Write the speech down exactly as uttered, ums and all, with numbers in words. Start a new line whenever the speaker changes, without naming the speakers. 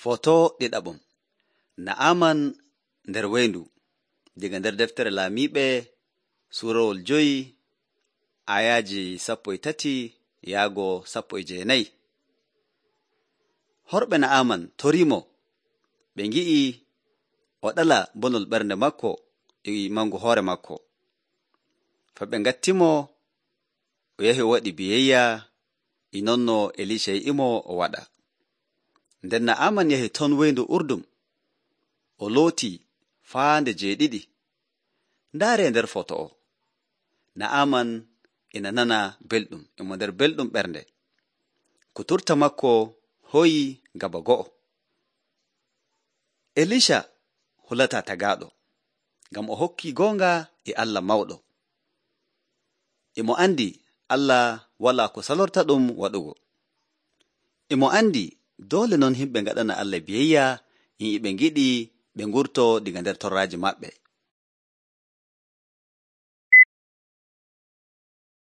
Foto ɗiɗaɓum Na'aman nder weyndu diga nder deftere Laamiiɓe suurawol jowi ayaaji sappo e tati yaago sappo e jeenayi. Horɓe Na'aman toriimo ɓe ngi'i o ɗala bonol ɓernde makko e mangu hoore makko. Fa ɓe ngattimo o yahi o waɗi biyeyya e nonno Elisha yi'imo o waɗa. Nden Na'aman yahi ton weyndu Urdum o looti faande jeeɗiɗi. Ndaaree nder foto o. Na'aman ina nana belɗum, imo nder belɗum ɓernde. Kuturta makko hoyi gaba go'o. Elisha hulataa tagaaɗo, ngam o hokkii goonga e Allah mawɗo. Imo andi Allah walaa ko salorta ɗum waɗugo. Imo andi doole non himɓe ngaɗana Allah biyeyya, e ɓe ngiɗi ɓe ngurto diga nder torraaji maɓɓe.